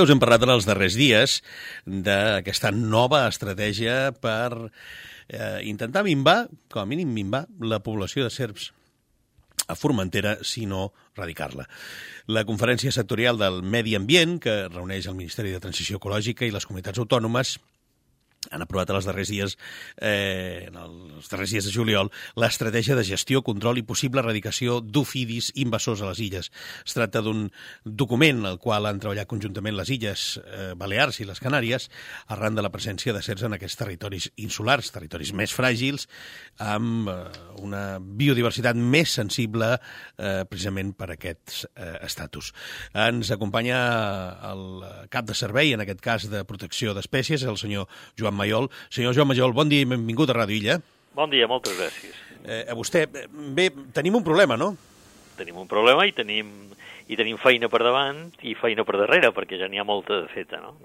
que us hem parlat en els darrers dies d'aquesta nova estratègia per intentar minvar, com a mínim minvar, la població de serps a Formentera, si no erradicar-la. La Conferència Sectorial del Medi Ambient, que reuneix el Ministeri de Transició Ecològica i les comunitats autònomes, han aprovat en els darrers dies de juliol l'estratègia de gestió, control i possible erradicació d'ofidis invasors a les illes. Es tracta d'un document al qual han treballat conjuntament les illes Balears i les Canàries arran de la presència de serps en aquests territoris insulars, territoris més fràgils, amb una biodiversitat més sensible precisament per aquests estatus. Ens acompanya el cap de servei, en aquest cas de protecció d'espècies, el senyor Joan Mayol. Senyor Joan Mayol, bon dia i benvingut a Ràdio Illa. Bon dia, moltes gràcies. A vostè, bé, tenim un problema, no? Tenim un problema i tenim feina per davant i feina per darrere, perquè ja n'hi ha molta de feta, no?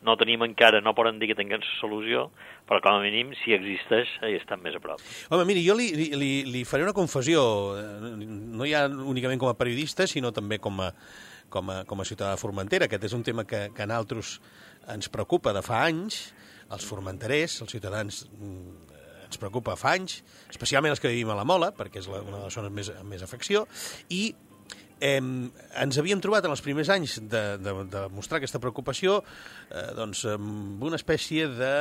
No tenim encara, no poden dir que tinguem solució, però com a mínim, si existeix, hi estan més a prop. Home, miri, jo li faré una confessió, no ja únicament com a periodista, sinó també com a ciutadà de Formentera. Aquest és un tema que a nosaltres ens preocupa de fa anys, els formenterers, els ciutadans, ens preocupa fa anys, especialment els que vivim a la Mola, perquè és una de les zones amb més afecció, i ens havíem trobat en els primers anys de mostrar aquesta preocupació amb una espècie de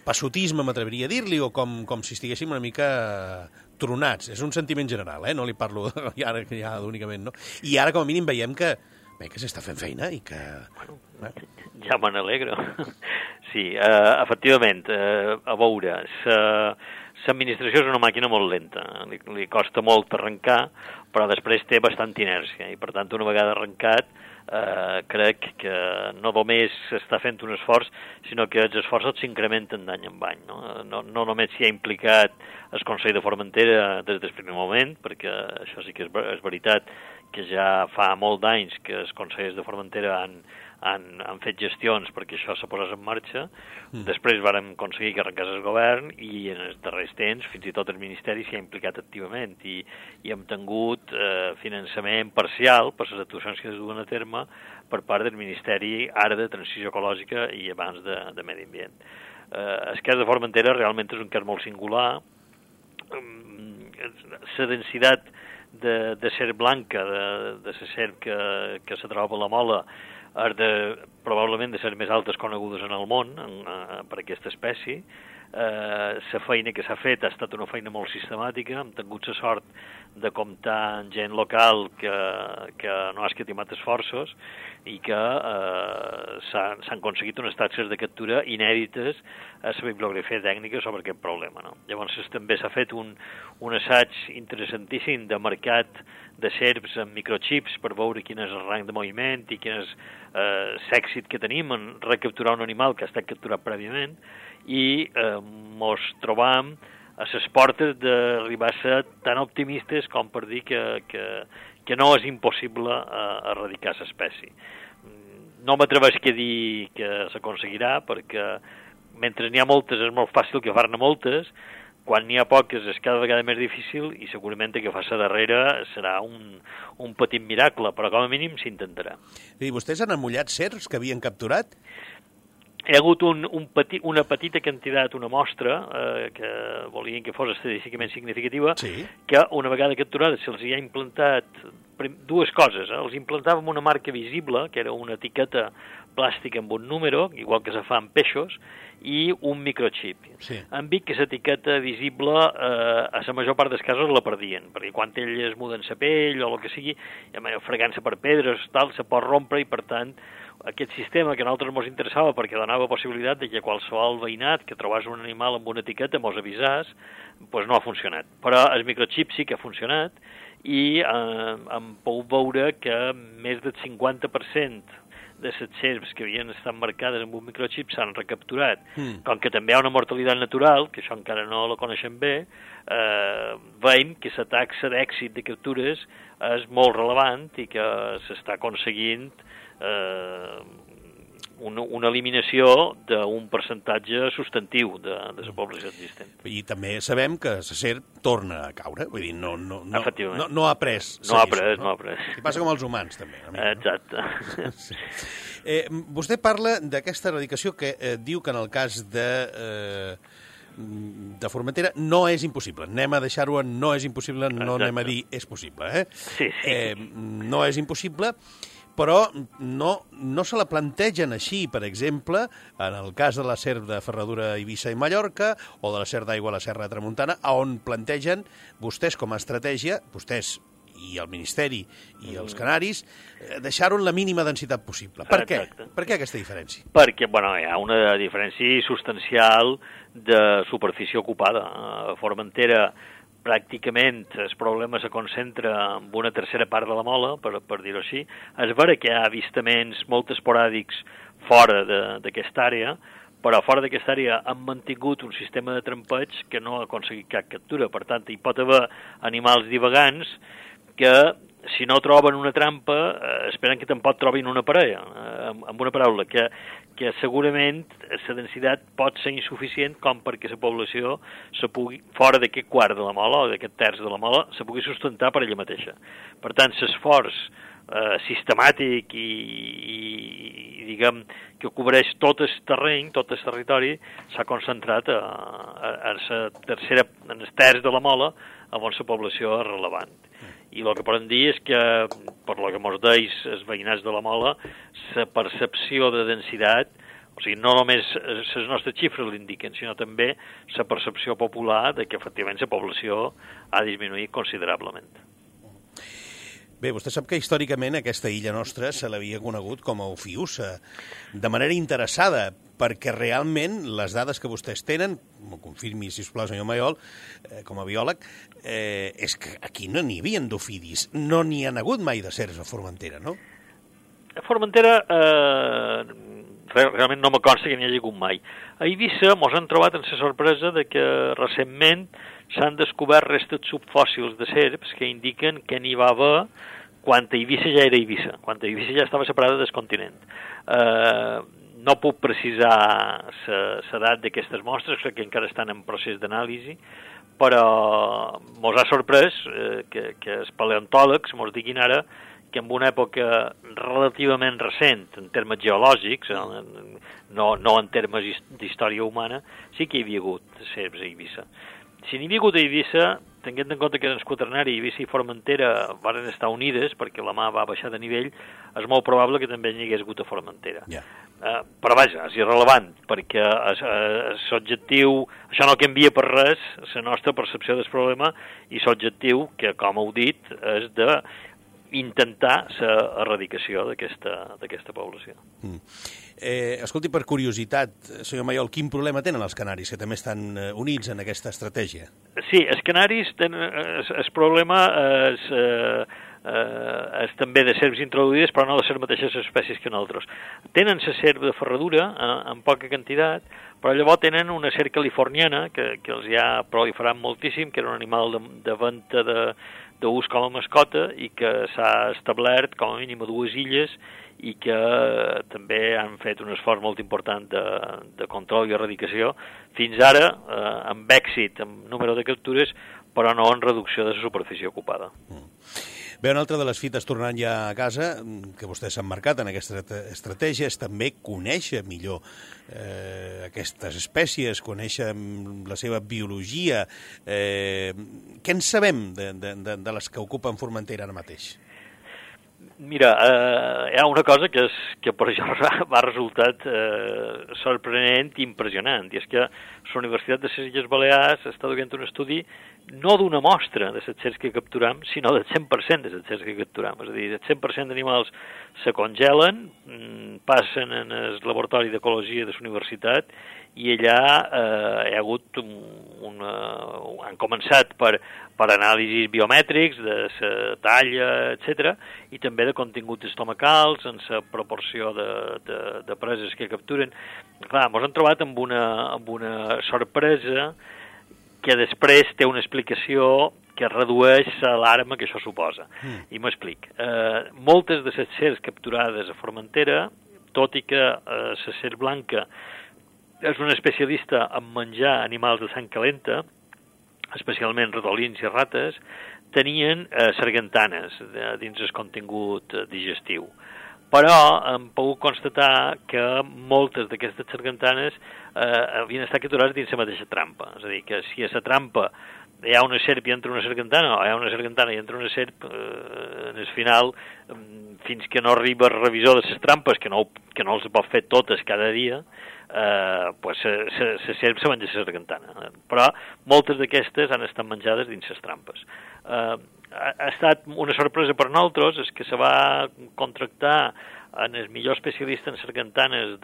passotisme, m'atreviria a dir-li, o com si estiguéssim una mica tronats. És un sentiment general, no li parlo ja únicament, no? I ara, com a mínim, veiem que s'està fent feina i que... Bueno, ja me n'alegro. Sí, efectivament, a veure, l'administració és una màquina molt lenta, li costa molt arrencar, però després té bastant inèrcia, i per tant, una vegada arrencat, crec que no només s'està fent un esforç, sinó que els esforços s'incrementen d'any en any. No només s'hi ha implicat el Consell de Formentera des del primer moment, perquè això sí que és veritat que ja fa molt d'anys que els Consells de Formentera han fet gestions perquè això se posés en marxa. Després vàrem aconseguir que arrencés el govern i en els darrers temps fins i tot el Ministeri s'hi ha implicat activament i hem tingut finançament parcial per les actuacions que es duen a terme per part del Ministeri ara de Transició Ecològica i abans de Medi Ambient. El cas de Formentera realment és un cas molt singular. La densitat de serp blanca, de la serp que se troba a la Mola, probablement de ser més altes conegudes en el món per aquesta espècie. La feina que s'ha fet ha estat una feina molt sistemàtica, hem tingut la sort de comptar amb gent local que no ha escatimat esforços i que s'han aconseguit unes taxes de captura inèdites a la bibliografia tècnica sobre aquest problema. Llavors també s'ha fet un assaig interessantíssim de mercat de serps amb microchips per veure quin és el rang de moviment i quin és l'èxit que tenim en recapturar un animal que ha estat capturat prèviament i mos trobam a les portes d'arribar a ser tan optimistes com per dir que no és impossible erradicar l'espècie. No m'atreveix a dir que s'aconseguirà, perquè mentre n'hi ha moltes és molt fàcil que far-ne moltes, quan n'hi ha poques és cada vegada més difícil i segurament que fa-se darrere serà un petit miracle, però com a mínim s'intentarà. I vostès han amollat serps que havien capturat? Hi ha hagut una petita quantitat, una mostra, que volien que fos estadísticament significativa, sí, que una vegada capturada se'ls hi ha implantat dues coses. Els implantàvem una marca visible, que era una etiqueta plàstica amb un número, igual que se fa amb peixos, i un microchip. Sí. Han vist que l'etiqueta visible a la major part dels casos la perdien, perquè quan elles muden la pell o el que sigui, fregant-se per pedres, tal, se pot rompre i per tant aquest sistema que a nosaltres ens interessava perquè donava possibilitat de que qualsevol veïnat que trobés un animal amb una etiqueta mos avisàs, doncs no ha funcionat. Però el microchip sí que ha funcionat i hem pogut veure que més del 50% de les serps que havien estat marcades amb un microchip s'han recapturat. Com que també hi ha una mortalitat natural, que això encara no la coneixem bé, veiem que la taxa d'èxit de captures és molt relevant i que s'està aconseguint una eliminació d'un percentatge substantiu de la població existent. I també sabem que la serp torna a caure, vull dir, no ha après. No ha après. I passa com els humans, també. Exacte. Sí. Vostè parla d'aquesta erradicació que diu que en el cas de Formentera no és impossible. Anem a deixar-ho en no és impossible, no anem a dir és possible. Sí. No és impossible, però no se la plantegen així, per exemple, en el cas de la serp de Ferradura, Eivissa i Mallorca, o de la serp d'aigua a la Serra de Tramuntana, on plantegen vostès com a estratègia, vostès i el Ministeri i els Canaris, deixar-ho en la mínima densitat possible. Per què? Per què aquesta diferència? Perquè hi ha una diferència substancial de superfície ocupada. A Formentera, pràcticament el problema se concentra en una tercera part de la mola, per dir-ho així. És vera que hi ha avistaments molt esporàdics fora d'aquesta àrea, però fora d'aquesta àrea han mantingut un sistema de trampeig que no ha aconseguit cap captura. Per tant, hi pot haver animals divagants que, si no troben una trampa, esperen que tampoc trobin una parella. Amb una paraula, que segurament la densitat pot ser insuficient com perquè la població se pugui, fora d'aquest quart de la mola o d'aquest terç de la mola, se pugui sustentar per ella mateixa. Per tant, l'esforç sistemàtic i diguem, que cobreix tot el terreny, tot el territori, s'ha concentrat en el terç de la mola on la població és relevant. I el que podem dir és que, per lo que ens deis els veïnats de la mola, la percepció de densitat, o sigui, no només les nostres xifres l'indiquen, sinó també la percepció popular de que efectivament la població ha disminuït considerablement. Bé, vostè sap que històricament aquesta illa nostra se l'havia conegut com a Ofiusa, de manera interessada, perquè realment les dades que vostès tenen, m'ho confirmi, sisplau, senyor Mayol, com a biòleg, és que aquí no n'hi havia d'ofidis, no n'hi ha hagut mai de serps a Formentera, no? A Formentera realment no me consta que n'hi hagi hagut mai. A Eivissa ens han trobat amb la sorpresa de que recentment s'han descobert restes subfòssils de serps que indiquen que n'hi va haver quan Eivissa ja era Eivissa, quan Eivissa ja estava separada del continent. No puc precisar l'edat d'aquestes mostres, crec que encara estan en procés d'anàlisi, però ens ha sorprès que els paleontòlegs ens diguin ara que en una època relativament recent, en termes geològics, no en termes d'història humana, sí que hi havia hagut serps a Eivissa. Si n'hi havia hagut a Eivissa, tenint en compte que en el quaternari Eivissa i Formentera van estar unides perquè la mà va baixar de nivell, és molt probable que també n'hi hagués hagut a Formentera. Però vaja, és irrelevant, perquè l'objectiu, això no canvia per res la nostra percepció del problema i l'objectiu, que com heu dit, és d'intentar l'erradicació d'aquesta població. Escolti, per curiositat, senyor Mayol, quin problema tenen els canaris, que també estan units en aquesta estratègia? Sí, els canaris tenen el problema és també de serps introduïdes, però no de les mateixes espècies que nosaltres. Tenen la serp de Ferradura en poca quantitat, però llavors tenen una serp californiana que els ha proliferat moltíssim, que era un animal de venta d'ús com a mascota i que s'ha establert com a mínim a 2 illes i que també han fet un esforç molt important de control i erradicació, fins ara amb èxit, amb número de captures, però no en reducció de la superfície ocupada. Bé, una altra de les fites tornant ja a casa, que vostès s'han marcat en aquesta estratègia, és també conèixer millor aquestes espècies, conèixer la seva biologia. Què en sabem de les que ocupen Formentera ara mateix? Mira, hi ha una cosa que per això m'ha resultat sorprenent i impressionant, i és que la Universitat de les Illes Balears està duent un estudi no d'una mostra de les serps que capturam, sinó del 100% de les serps que capturam. És a dir, el 100% d'animals se congelen, passen en el laboratori d'ecologia de la universitat i allà hi ha hagut han començat per anàlisis biomètrics de la talla, etc., i també de continguts estomacals, en la proporció de preses que capturen. Clar, ens hem trobat amb una sorpresa que després té una explicació que redueix l'alarma que això suposa. I m'explic. Moltes de les serps capturades a Formentera tot i que la serp blanca és una especialista en menjar animals de sang calenta, especialment ratolins i rates, tenien sargantanes dins el contingut digestiu. Però hem pogut constatar que moltes d'aquestes sargantanes havien estat capturades dins la mateixa trampa. És a dir, que si a la trampa hi ha una serp i entra una sargantana, o hi ha una sargantana i entra una serp, en el final, fins que no arriba el revisor de les trampes, que no els pot fer totes cada dia, pues la serp se menja la sargantana. Però moltes d'aquestes han estat menjades dins les trampes. Ha estat una sorpresa per nosaltres, és que se va contractar en el millor especialista en sargantanes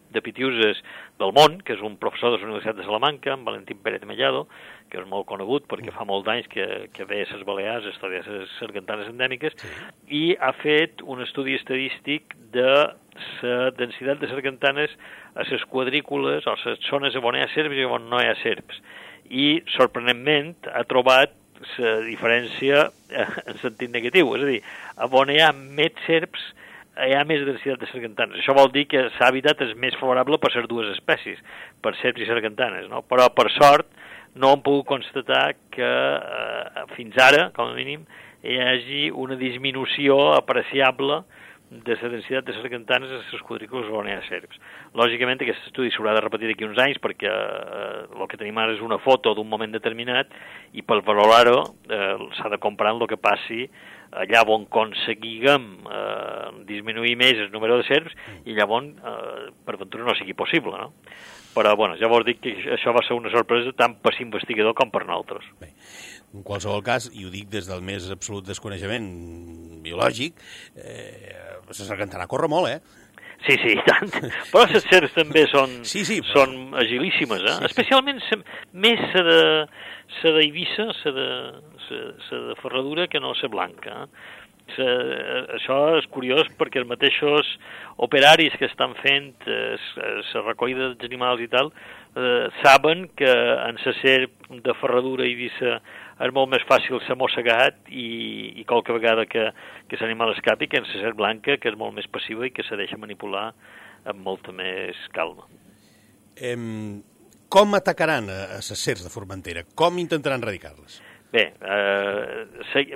de pitiuses del món, que és un professor de la Universitat de Salamanca, en Valentín Pérez Mellado, que és molt conegut perquè fa molts anys que ve a les Balears a estudiar les sargantanes endèmiques, i ha fet un estudi estadístic de la densitat de sargantanes a les quadrícules o a les zones on hi ha serps i on no hi ha serps. I, sorprenentment, ha trobat la diferència en sentit negatiu, és a dir, on hi ha més serps hi ha més densitat de sargantanes. Això vol dir que l'hàbitat és més favorable per les dues espècies, per serps i sargantanes, no? Però, per sort, no hem pogut constatar que fins ara, com a mínim, hi hagi una disminució apreciable de la densitat de sargantanes a les quadrícules on hi ha serps. Lògicament, aquest estudi s'haurà de repetir d'aquí uns anys perquè el que tenim ara és una foto d'un moment determinat i per valorar-ho s'ha de comparar amb el que passi allà on aconseguiguem disminuir més el número de serps i llavors, per ventura, no sigui possible, no? Però, bueno, ja vos dic que això va ser una sorpresa tant per l'investigador com per nosaltres. Bé, en qualsevol cas, i ho dic des del més absolut desconeixement biològic, la sargantana corre molt, Sí, i tant. Però les serps també són agilíssimes, Sí. Especialment més la d'Eivissa, la de ferradura, que no la blanca. Això és curiós perquè els mateixos operaris que estan fent la recollida dels animals i tal saben que en la serp de ferradura i Eivissa és molt més fàcil ser mossegat i qualque vegada que l'animal escapi que en la serp blanca, que és molt més passiva i que se deixa manipular amb molta més calma. Com atacaran a les serps de Formentera? Com intentaran erradicar-les? Bé,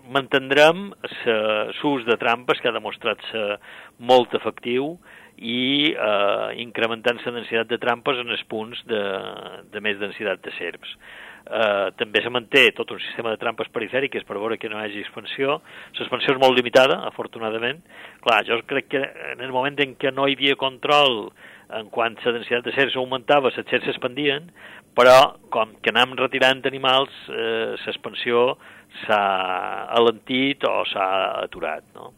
mantindrem l'ús de trampes, que ha demostrat ser molt efectiu, i incrementant la densitat de trampes en els punts de més densitat de serps. També se manté tot un sistema de trampes perifèriques per veure que no hi hagi expansió. L'expansió és molt limitada, afortunadament. Clar, jo crec que en el moment en què no hi havia control en quant la densitat de serps augmentava, les serps s'expandien, però com que anem retirant animals, l'expansió s'ha alentit o s'ha aturat, no?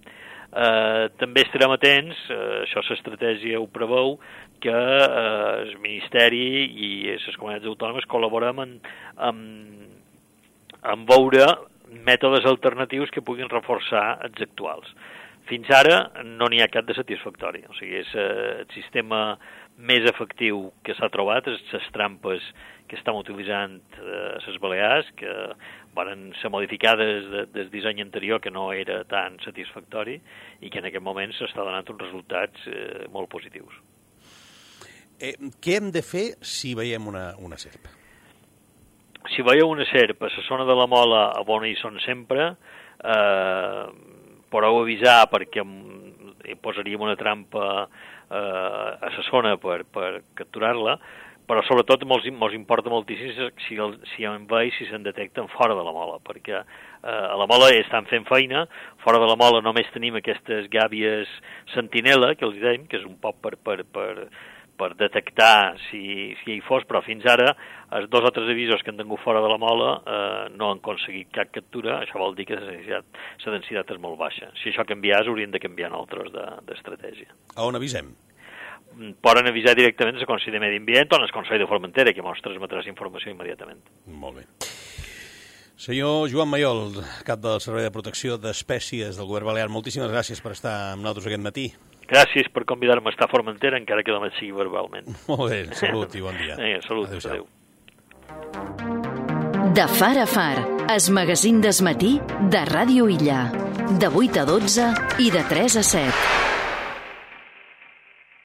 També estarem atents, això l'estratègia ho preveu, que el Ministeri i les comunitats autònomes col·laborem en veure mètodes alternatius que puguin reforçar els actuals. Fins ara no n'hi ha cap de satisfactori, o sigui, és el sistema més efectiu que s'ha trobat, les trampes que estem utilitzant a les Balears, que van ser modificades del disseny anterior, que no era tan satisfactori, i que en aquest moment s'està donant uns resultats molt positius. Què hem de fer si veiem una serp? Si veieu una serp a la zona de la Mola, on hi són sempre, podeu avisar perquè posaríem una trampa a la zona per capturar-la, però sobretot ens importa moltíssim si en veig, si se'n detecten fora de la Mola, perquè a la Mola estan fent feina, fora de la Mola només tenim aquestes gàbies sentinela, que els dèiem, que és un poc per detectar si hi fos, però fins ara els 2 o 3 avisos que han tingut fora de la Mola no han aconseguit cap captura. Això vol dir que la densitat és molt baixa. Si això canviés, hauríem de canviar nosaltres d'estratègia. A on avisem? Poden avisar directament al Consell de Medi Ambient o al Consell de Formentera, que ens transmetrà informació immediatament. Molt bé. Senyor Joan Mayol, cap del Servei de Protecció d'Espècies del Govern Balear, moltíssimes gràcies per estar amb nosaltres aquest matí. Gràcies per convidar-me a estar a Formentera, encara que només sigui verbalment. Molt bé, salut i bon dia. Salut, adéu. De Far a Far, el magazín d'esmatí de Ràdio Illa. De 8 a 12 i de 3 a 7.